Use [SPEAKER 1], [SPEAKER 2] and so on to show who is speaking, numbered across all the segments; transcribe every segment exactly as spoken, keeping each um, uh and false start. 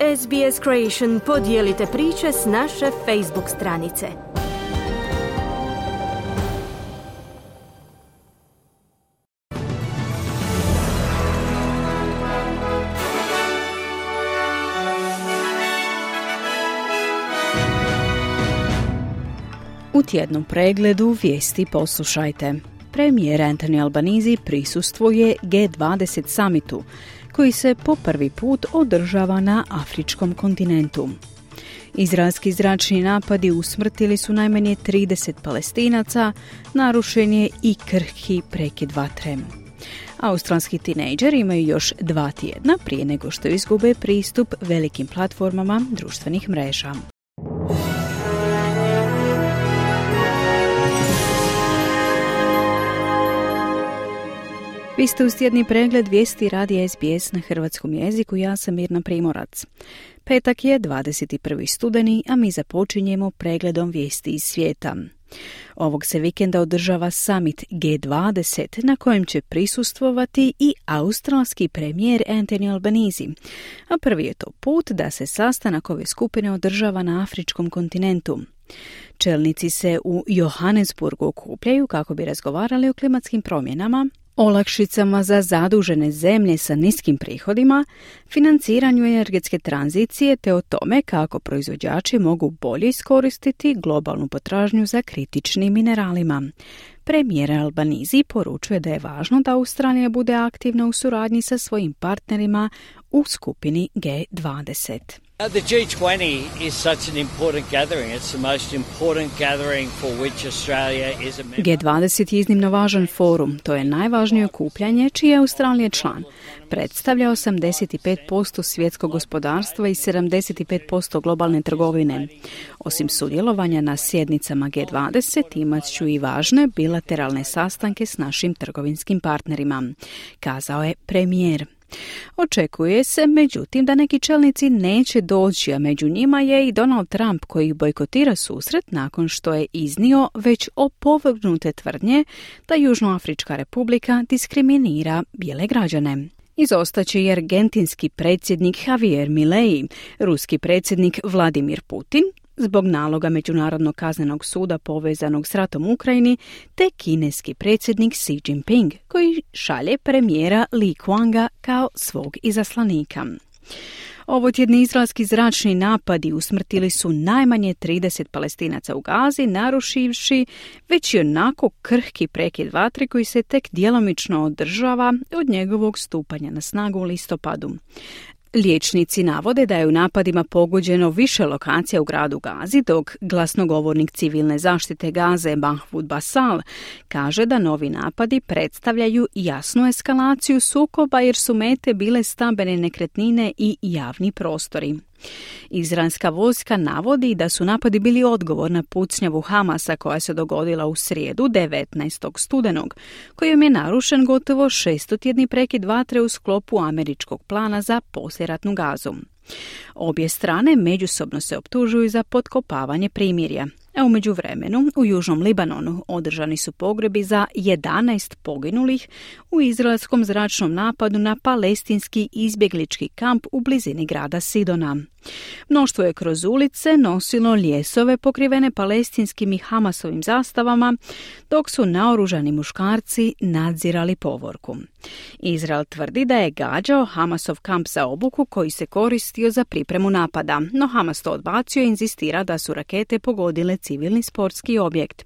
[SPEAKER 1] S B S Creation podijelite priče s naše Facebook stranice.
[SPEAKER 2] U tjednom pregledu vijesti poslušajte. Premijer Anthony Albanese prisustvuje G dvadeset summitu, koji se po prvi put održava na afričkom kontinentu. Izraelski zračni napadi usmrtili su najmanje trideset Palestinaca, narušen je i krhki prekid vatre. Australski tinejdžeri imaju još dva tjedna prije nego što izgube pristup velikim platformama društvenih mreža. Vi ste uz tjedni pregled vijesti radija S B S na hrvatskom jeziku, ja sam Mirna Primorac. Petak je dvadeset prvi studeni, a mi započinjemo pregledom vijesti iz svijeta. Ovog se vikenda održava summit G dvadeset na kojem će prisustvovati i australski premijer Anthony Albanese, a prvi je to put da se sastanak ove skupine održava na afričkom kontinentu. Čelnici se u Johannesburgu okupljaju kako bi razgovarali o klimatskim promjenama, olakšicama za zadužene zemlje sa niskim prihodima, financiranju energetske tranzicije te o tome kako proizvođači mogu bolje iskoristiti globalnu potražnju za kritičnim mineralima. Premijer Albanese poručuje da je važno da Australija bude aktivna u suradnji sa svojim partnerima u skupini G dvadeset.
[SPEAKER 3] The G twenty is such an important gathering. It's the most important gathering for which Australia is a member.
[SPEAKER 2] G dvadeset je iznimno važan forum. To je najvažnije okupljanje čiji je Australija član. Predstavlja osamdeset pet posto svjetskog gospodarstva i sedamdeset pet posto globalne trgovine. Osim sudjelovanja na sjednicama G dvadeset imat ću i važne bilateralne sastanke s našim trgovinskim partnerima, kazao je premijer. Očekuje se, međutim, da neki čelnici neće doći, a među njima je i Donald Trump koji bojkotira susret nakon što je iznio već opovrgnute tvrdnje da Južnoafrička republika diskriminira bijele građane. Izostaće i argentinski predsjednik Javier Milei, ruski predsjednik Vladimir Putin, zbog naloga Međunarodnog kaznenog suda povezanog s ratom u Ukrajini, te kineski predsjednik Xi Jinping, koji šalje premijera Li Qianga kao svog izaslanika. Ovo tjedni izraelski zračni napadi usmrtili su najmanje trideset Palestinaca u Gazi, narušivši već i onako krhki prekid vatre koji se tek djelomično održava od njegovog stupanja na snagu u listopadu. Liječnici navode da je u napadima pogođeno više lokacija u gradu Gazi, dok glasnogovornik civilne zaštite Gaze Mahmoud Basal kaže da novi napadi predstavljaju jasnu eskalaciju sukoba jer su mete bile stambene nekretnine i javni prostori. Izraelska vojska navodi da su napadi bili odgovor na pucnjavu Hamasa koja se dogodila u srijedu devetnaestog studenog, kojom je narušen gotovo šestotjedni prekid vatre u sklopu američkog plana za poslijeratnu Gazu. Obje strane međusobno se optužuju za potkopavanje primirja, a u međuvremenu u Južnom Libanonu održani su pogrebi za jedanaest poginulih u izraelskom zračnom napadu na palestinski izbjeglički kamp u blizini grada Sidona. Mnoštvo je kroz ulice nosilo ljesove pokrivene palestinskim i Hamasovim zastavama, dok su naoružani muškarci nadzirali povorku. Izrael tvrdi da je gađao Hamasov kamp za obuku koji se koristio za pripremu napada, no Hamas to odbacio i inzistira da su rakete pogodile civilni sportski objekt.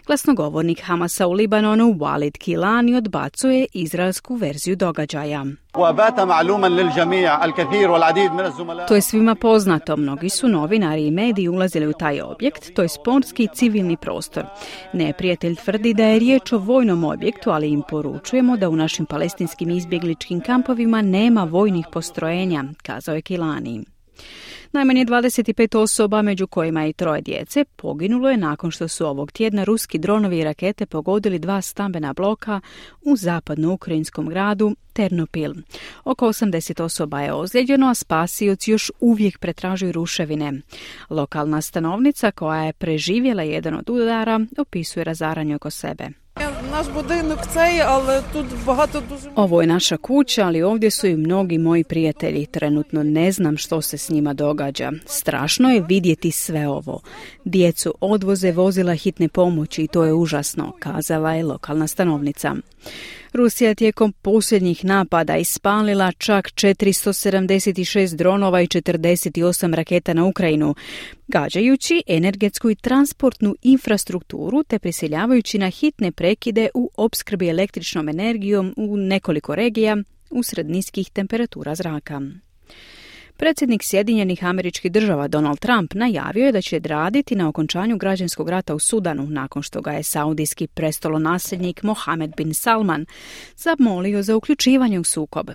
[SPEAKER 2] Glasnogovornik Hamasa u Libanonu Walid Kilani odbacuje izraelsku verziju događaja. To je svima poznato, mnogi su novinari i mediji ulazili u taj objekt, to je sportski i civilni prostor. Neprijatelj tvrdi da je riječ o vojnom objektu, ali im poručujemo da u našim palestinskim izbjegličkim kampovima nema vojnih postrojenja, kazao je Kilani. Najmanje dvadeset pet osoba, među kojima i troje djece, poginulo je nakon što su ovog tjedna ruski dronovi i rakete pogodili dva stambena bloka u zapadno-ukrajinskom gradu Ternopil. Oko osamdeset osoba je ozlijeđeno, a spasioci još uvijek pretražuju ruševine. Lokalna stanovnica koja je preživjela jedan od udara opisuje razaranje oko sebe.
[SPEAKER 4] Naš budinок цей, але тут багато дуже...
[SPEAKER 2] Ovo je naša kuća, ali ovdje su i mnogi moji prijatelji. Trenutno ne znam što se s njima događa. Strašno je vidjeti sve ovo. Djecu odvoze vozila hitne pomoći i to je užasno, kazala je lokalna stanovnica. Rusija tijekom posljednjih napada ispalila čak četiristo sedamdeset šest dronova i četrdeset osam raketa na Ukrajinu, gađajući energetsku i transportnu infrastrukturu te prisiljavajući na hitne prekide u opskrbi električnom energijom u nekoliko regija usred niskih temperatura zraka. Predsjednik Sjedinjenih Američkih Država Donald Trump najavio je da će raditi na okončanju građanskog rata u Sudanu nakon što ga je saudijski prestolonasljednik Mohamed bin Salman zamolio za uključivanje u sukob.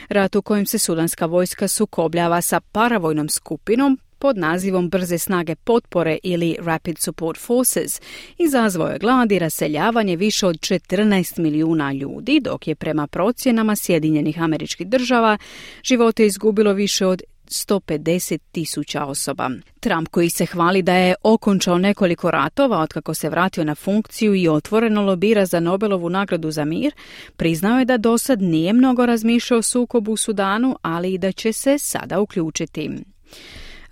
[SPEAKER 2] Rat u kojem se sudanska vojska sukobljava sa paravojnom skupinom pod nazivom Brze snage potpore ili Rapid Support Forces izazvao je glad i raseljavanje više od četrnaest milijuna ljudi, dok je prema procjenama Sjedinjenih Američkih Država živote izgubilo više od sto pedeset tisuća osoba. Trump, koji se hvali da je okončao nekoliko ratova otkako se vratio na funkciju i otvoreno lobira za Nobelovu nagradu za mir, priznao je da dosad nije mnogo razmišljao o sukobu u Sudanu, ali i da će se sada uključiti.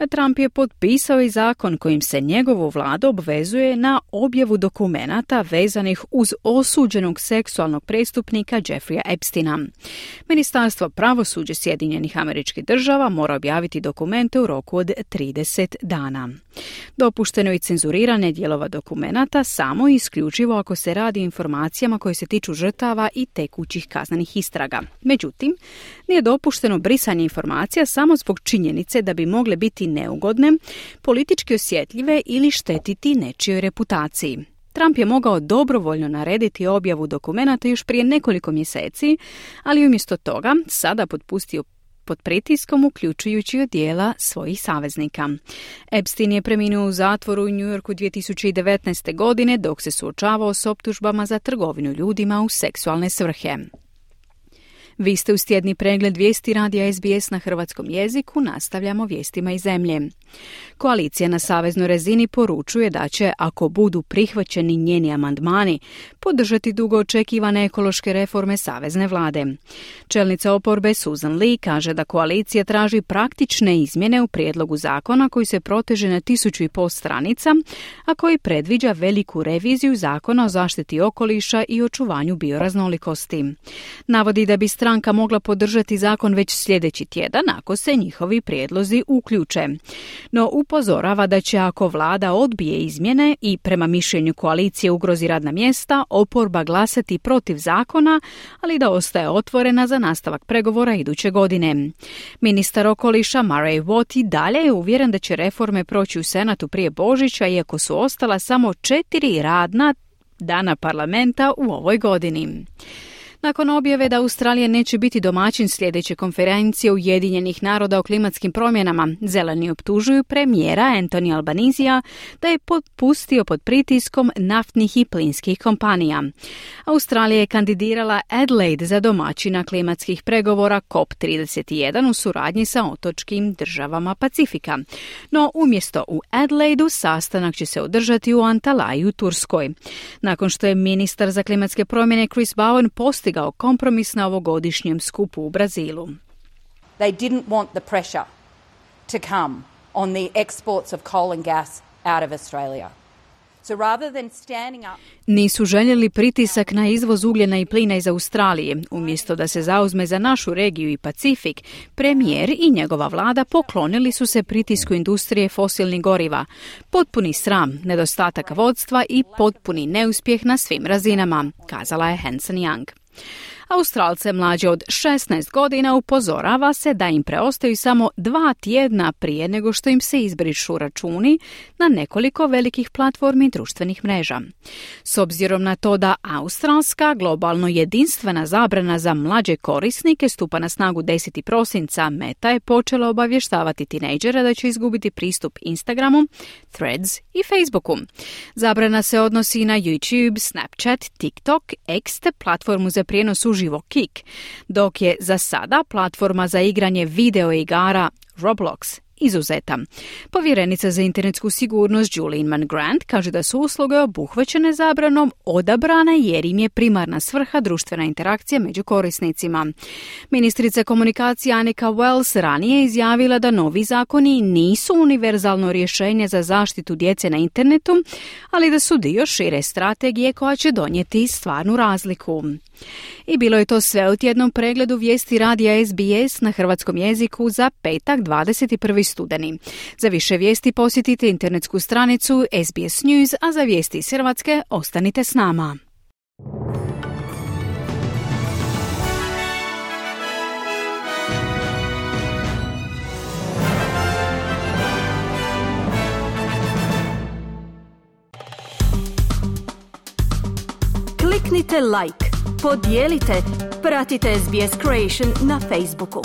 [SPEAKER 2] Trump je potpisao i zakon kojim se njegovu vladu obvezuje na objavu dokumenata vezanih uz osuđenog seksualnog prestupnika Jeffreya Epsteina. Ministarstvo pravosuđa Sjedinjenih Američkih Država mora objaviti dokumente u roku od trideset dana. Dopušteno je cenzuriranje dijelova dokumenata samo i isključivo ako se radi o informacijama koje se tiču žrtava i tekućih kaznenih istraga. Međutim, nije dopušteno brisanje informacija samo zbog činjenice da bi mogle biti neugodne, politički osjetljive ili štetiti nečijoj reputaciji. Trump je mogao dobrovoljno narediti objavu dokumenata još prije nekoliko mjeseci, ali umjesto toga sada potpustio pod pritiskom uključujući od dijela svojih saveznika. Epstein je preminuo u zatvoru u New Yorku dvije tisuće devetnaeste. godine dok se suočavao s optužbama za trgovinu ljudima u seksualne svrhe. Vi ste uz tjedni pregled vijesti radija S B S na hrvatskom jeziku, nastavljamo vijestima iz zemlje. Koalicija na saveznoj razini poručuje da će, ako budu prihvaćeni njeni amandmani, podržati dugo očekivane ekološke reforme savezne vlade. Čelnica oporbe Susan Lee kaže da koalicija traži praktične izmjene u prijedlogu zakona koji se proteže na tisuću i pol stranica, a koji predviđa veliku reviziju zakona o zaštiti okoliša i očuvanju bioraznolikosti. Navodi da bi stranka mogla podržati zakon već sljedeći tjedan ako se njihovi prijedlozi uključe. No upozorava da će, ako vlada odbije izmjene i prema mišljenju koalicije ugrozi radna mjesta, oporba glasati protiv zakona, ali da ostaje otvorena za nastavak pregovora iduće godine. Ministar okoliša Murray Watt dalje je uvjeren da će reforme proći u Senatu prije Božića, iako su ostala samo četiri radna dana parlamenta u ovoj godini. Nakon objave da Australija neće biti domaćin sljedeće konferencije Ujedinjenih naroda o klimatskim promjenama, zeleni optužuju premijera Anthony Albanisija da je potpustio pod pritiskom naftnih i plinskih kompanija. Australija je kandidirala Adelaide za domaćina klimatskih pregovora C O P trideset jedan u suradnji sa otočkim državama Pacifika. No umjesto u Adelaidu sastanak će se održati u Antaliji u Turskoj. Nakon što je ministar za klimatske promjene Chris Bowen postigao kompromis na ovogodišnjem skupu u Brazilu.
[SPEAKER 5] They didn't want the pressure to come on the exports of coal and gas out of Australia. So rather than standing up...
[SPEAKER 2] Nisu željeli pritisak na izvoz ugljena i plina iz Australije. Umjesto da se zauzme za našu regiju i Pacifik, premijer i njegova vlada poklonili su se pritisku industrije fosilnih goriva. Potpuni sram, nedostatak vodstva i potpuni neuspjeh na svim razinama, kazala je Hanson Young. Australce mlađe od šesnaest godina upozorava se da im preostaju samo dva tjedna prije nego što im se izbrišu računi na nekoliko velikih platformi društvenih mreža. S obzirom na to da australska globalno jedinstvena zabrana za mlađe korisnike stupa na snagu desetog prosinca, Meta je počela obavještavati tinejdžere da će izgubiti pristup Instagramu, Threads i Facebooku. Zabrana se odnosi na YouTube, Snapchat, TikTok, X te platformu za prijenos uživo Kik, dok je za sada platforma za igranje video igara Roblox izuzeta. Povjerenica za internetsku sigurnost Julie Inman Grant kaže da su usluge obuhvaćene zabranom odabrane jer im je primarna svrha društvena interakcija među korisnicima. Ministrica komunikacije Annika Wells ranije izjavila da novi zakoni nisu univerzalno rješenje za zaštitu djece na internetu, ali da su dio šire strategije koja će donijeti stvarnu razliku. I bilo je to sve u tjednom pregledu vijesti radija S B S na hrvatskom jeziku za petak dvadeset prvi studeni. Za više vijesti posjetite internetsku stranicu S B S News, a za vijesti iz Hrvatske ostanite s nama.
[SPEAKER 1] Kliknite like, podijelite, pratite S B S Creation na Facebooku.